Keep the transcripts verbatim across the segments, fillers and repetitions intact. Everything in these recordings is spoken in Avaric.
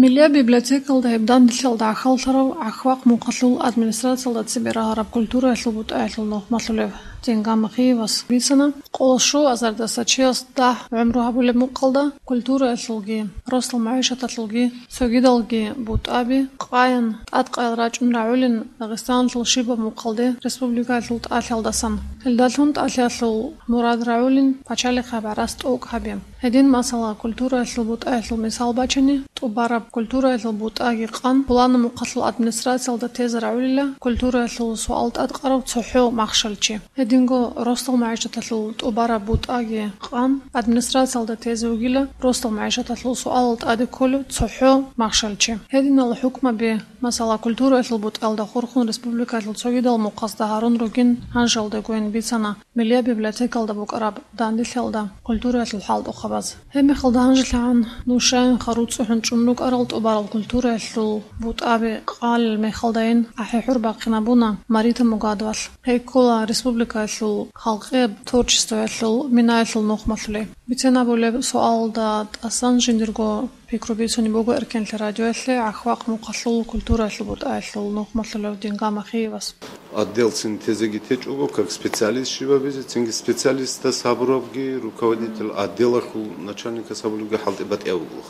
Миллияб библиотекалда гьеб данделъиялда гӀахьаллъарав ГӀахвахъ мухъалъул администрациялда цебе рагьараб культураялъул бутӀаялъул нухмалъулев Дингама Хиевас бицана, къоло щуаб азардаса чияс дагь гӀумру гьабулеб мухъалда культураялъулги, росдал магӀишаталъулги цогидалги бутӀаби къаян тӀадкъаял рачӀун рагӀулин Дагъистаналъул щибаб мухъалде республикаялъул тӀалъиялдасан. Гьелдалъун тӀалъиялъул мурад рагӀулин пачалихъ гьаб гӀарац тӀокӀ гьабе. Гьедин, масала, культураялъул бутӀаялъул мисал бачани, тӀубараб культураялъул бутӀаги къан пуланаб мухъалъул администрациялда тезе рагӀулила культураялъул суал тӀадкъарав цохӀо махщел чи. Гьединго росдал магӀишаталъул тӀубараб бутӀаги къан администрациялда тезе вугила росдал магӀишаталъул суалал тӀаде кколев цохӀо махщел чи. Гьединал хӀукмаби, масала, культураялъул бутӀаялда хурхун республикаялъул цогидал мухъазда гьарун ругин гьанжалдегойин бицана Миллияб библиотекалда букӀараб данделъиялда культураялъул хӀалтӀухъабаз. Гьебмехалда гьанжелъагӀан нушаянха руцӀцӀухӀун чӀун рукӀарал тӀубарал культураялъул бутӀаби къалел мехалдайин ахӀи-хӀур бахъинабуна Марита Мугадовалъ. Гьей ккола республикаялъул халкъияб творчествоялъул минаялъул нухмалъулей. Бицен абулеб суалалда тӀасан жиндирго пикру бицунеб буго Эркенлъи радиоялъе ГӀахвахъ мухъалъул культураялъул бутӀаялъул нухмалъулев Дингама Хиевас. Отделцин тезеги течӀого, как специалист щибабизе, цинги специалистас гьабурабги, руководитель отделалъул начальникас гьабулебги хӀалтӀи батӀияб буго,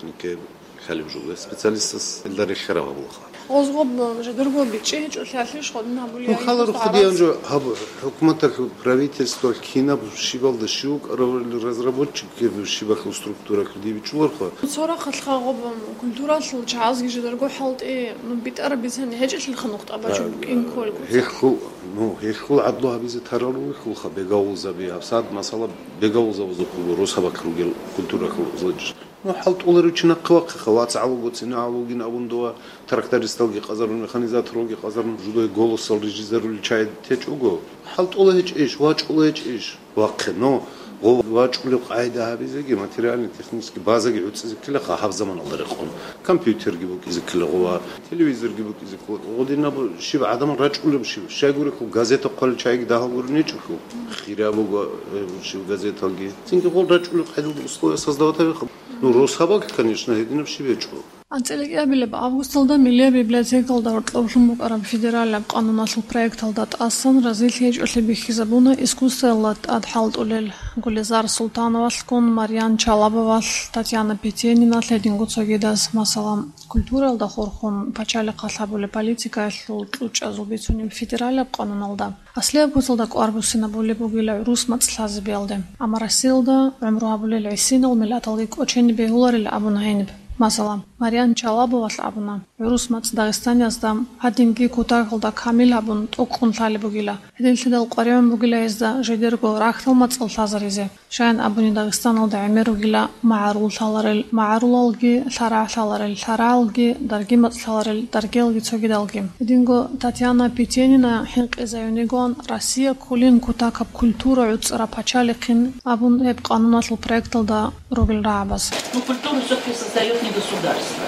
хӀалеб жо, специалистас илда рехераб гьабулаха. Гъозгъоб жидерго бичӀчӀи гьечӀолъиялъе щходин гьабулеб. Ну, хала рухъ диян жо гьаб хӀукуматалъул, правительствоялъ кинаб щибалда щив вукӀарав разработчик, щибалъул структуралъул дибичӀуларха. Цо рахъалъха гъоб культуралъул чагӀазги жидерго хӀалтӀи, ну, битӀараб бицани гьечӀелъилха нухтӀа бачун букӀин кколго. Гьелъул, ну, гьелъул гӀадлу гьабизе тарал ругелха бегавулзаби, гьабсагӀат масала бегавулзабазухъего росабалъ ругел культуралъул зоджи. Ну, хӀалтӀуларев чи нахъе вахъиха, вацгӀал вуго, цинагӀал вугин абун дова, трактористалги къазарун, механизаторалги къазарун, жудай «Голосал» рижизарулел чагӀи течӀого. ХӀалтӀула гьечӀищ, вачӀула гьечӀищ? Вахъе, ну, гъо-, вачӀулеб къагӀида гьабизеги, материально-технический базаги гӀуцӀизе ккелаха гьаб заманалда рекъон. Компьютерги букӀизе ккела гъова, телевизорги букӀизе ккела. Гъодинаб щиб гӀадамал рачӀулеб щиб? Щайгурехъул газета хъвалел чагӀиги дагьал гурин гьечӀохъул. Хираб буго, э, щиб газеталги. Цинги гъол рачӀулеб къагӀидалда условия создавать гьабиха. Ну, росабалъ, конечно, гьединаб щиб гьечӀо. АнцӀила кӀиабилеб августалда Миллияб библиотекалда гьоркьоблъун букӀараб федералияб къануналъул проекталда тӀасан разилъи гьечӀолъи бихьизабуна искусствоялда тӀад хӀалтӀулел Гулизар Султановалъгун, Марьян Чалабовалъ, Татьяна Петениналъ, гьединго цогидаз, масала, культуралда хурхун пачалихъалъ гьабулеб политикаялъул кьучӀазул бицунеб федералияб къануналда. Аслияб куцалда кӀвар буссинабулеб бугила гӀурус мацӀ лъазабиялде, амма Россиялда гӀумру гьабулел гӀисинал миллаталги кӀочене бегьуларил абуна гьениб. Масала, Марьян Чалабовалъ абуна, гӀурус мацӀ дагъистаниязда гьадинги кутакалда камил гьабун тӀокӀкӀун лъалеб бугила. Гьединлъидал къваригӀун бугила гьезда жидерго рахьдал мацӀал лъазаризе. Щайин абуни, Дагъистаналда гӀемер ругила магӀарул лъаларел магӀарулалги, лъарагӀ лъаларел лъарагӀалги, дарги мацӀ лъаларел даргиялги цогидалги. Гьединго Татьяна Петенина хӀинкъизаюнигоан Россия кколин кутакаб культура гӀуцӀараб пачалихъин абун гьеб къануналъул проекталда ругел рагӀабаз. Но культуру всё-таки создаёт не государство.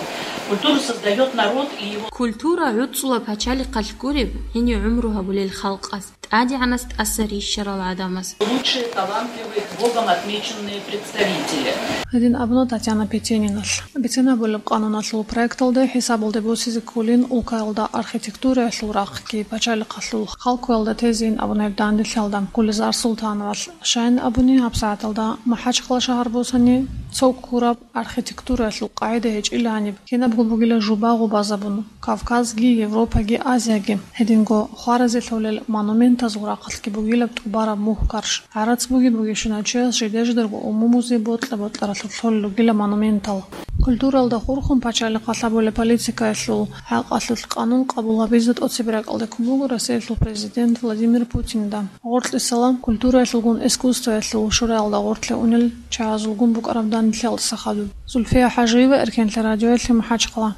Культуру создаёт народ и его Культура гӀуцӀула пачалихъалъ гуреб, гьенив гӀумру гьабулел халкъас. ТӀадегӀанас тӀаса рищарал гӀадамас. Лучшие талантливые, Богом отмеченные представители. Гьедин абуна Татьяна Петениналъ. Бицен абулеб къануналъул проекталде хӀисабалде босизе кколин улкаялда архитектураялъул рахъги, пачалихъалъул халкуялда тезейин абуна гьеб данделъиялда Гулизар Султановалъ. Щайин абуни, гьабсагӀаталда МахӀачхъала шагьар босани, цо ккураб архитектураялъул къагӀида гьечӀила гьаниб. Кинабго бугила жуба гъубазабун, Кавказги, Европаги, Азияги. Гьединго хваразе лъолел монументазул рахъалъги бугилаб тӀубараб мухь-карш. ГӀарац буги-бугищинав чияс жиде-жидерго умумузе бокьа-бокьаралъур лъолел ругила монументал. Культуралда хурхун пачалихъалъ гьабулеб политикаялъул хӀакъалъулъ къанун къабул гьабизе тӀоцебе ракӀалде ккун буго Россиялъул президент Владимир Путинда. Гъоркьисала культураялъулгун искусствоялъул шураялда гъорлъе унел чагӀазулгун букӀараб данделъиялдаса хадуб. Зульфия ХӀажиева, Эркенлъи радиоялъе, МахӀачхъала.